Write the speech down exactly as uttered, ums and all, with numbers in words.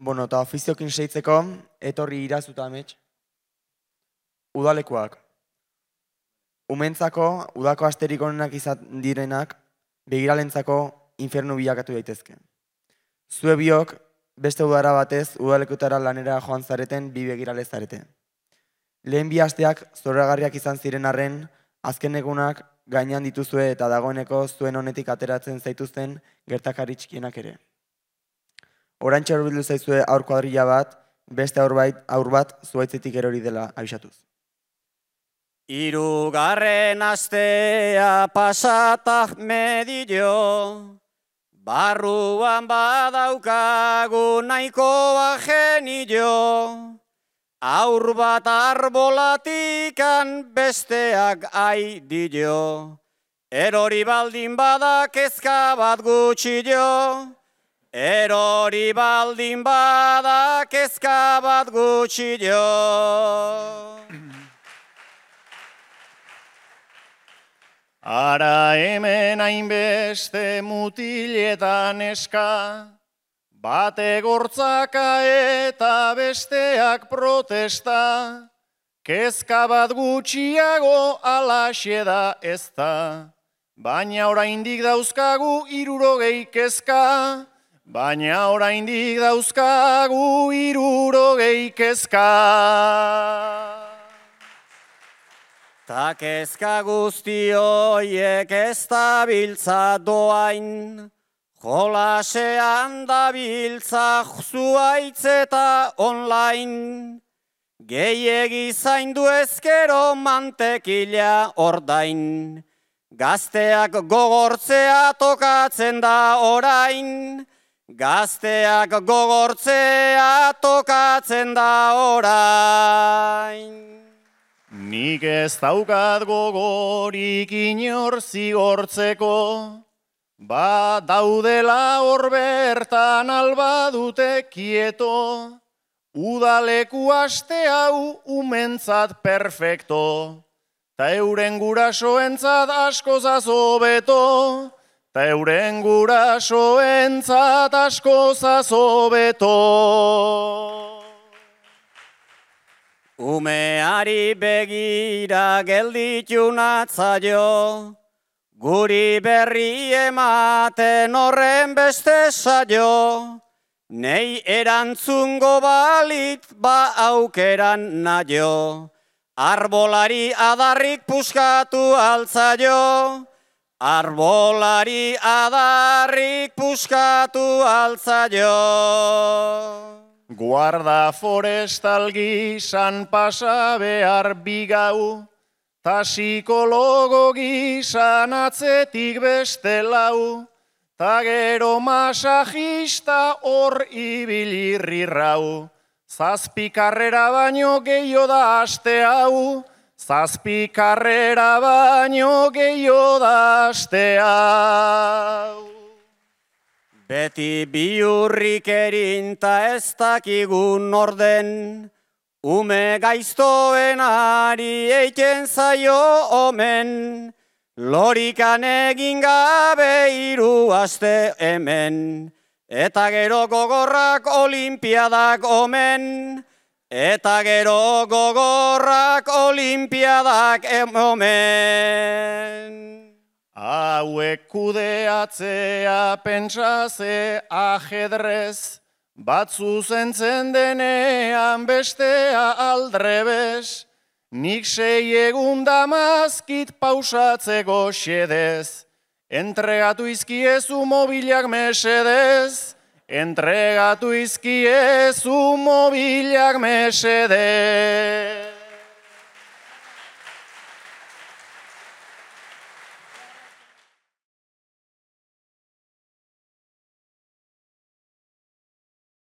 Bueno, eta ofiziokin seitzeko, etorri irazuta amets. Udalekuak. Umentzako, udako asterik onenak izan direnak, begiralentzako infernu bilakatu daitezke. Zue biok, beste udara batez, udalekutara lanera joan zareten bi begirale zarete. Lehen bi asteak zoragarriak izan ziren arren, azken egunak gainean dituzue eta dagoeneko zuen honetik ateratzen zaituzten gertakari txikienak ere. Oraintxe hurbildu zaizue aur kuadrilla bat, beste aur bat zuaitzetik erori dela abisatuz. Hirugarren astea pasatak medio, barruan badaukagu nahikoa genio, aur bat arbolatikan besteak aidio, erori baldin bada kezka bat gutxio, erori baldin bada kezka bat gutxio. Ara hemen hainbeste mutiletan eska, bate gortzaka eta besteak protesta, kezka bat gutxiago alaxe da ez da, baina oraindik dauzkagu hirurogei kezka, baina oraindik dauzkagu hirurogei kezka. Ta kezka guzti hoiek ez dabiltza doain, jolasean dabiltza zuaitz eta online, gehiegi zaindu ezkero mantekila ordain, gazteak gogortzea tokatzen da orain, gazteak gogortzea tokatzen da orain. Nik ez daukat gogorik inor zigortzeko, ba daudela hor bertan alba dute kieto, udaleku aste hau umentzat perfecto, ta euren gurasoentzat askoz azobeto, ta euren gurasoentzat askoz azobeto. Umeari begira gelditu natzaio, guri berri ematen horren beste saio, nei erantzungo balit ba aukeran naio, arbolari adarrik puskatu altzaio, arbolari adarrik puskatu altzaio. Guarda forestal gisan pasa behar bigau, ta psikologo gisan atzetik beste lau, ta gero masajista hor ibilirrirrau, zazpi karrera baino gehiago da aste hau, zazpi karrera baino gehiago da aste hau. Beti biurrik erinta ez dakigun orden, ume gaiztoen ari eiten zaio omen, lorikan egin gabe hiru aste hemen, eta gero gogorrak olimpiadak omen, eta gero gogorrak olimpiadak omen. Hauek kudeatzea pentsaze ajedrez, bat zuzentzen denean bestea aldrebes, nik sei egun damazkit pausatzeko xedez, entregatu izkiezu mobilak mesedez, entregatu izkiezu mobilak mesedez.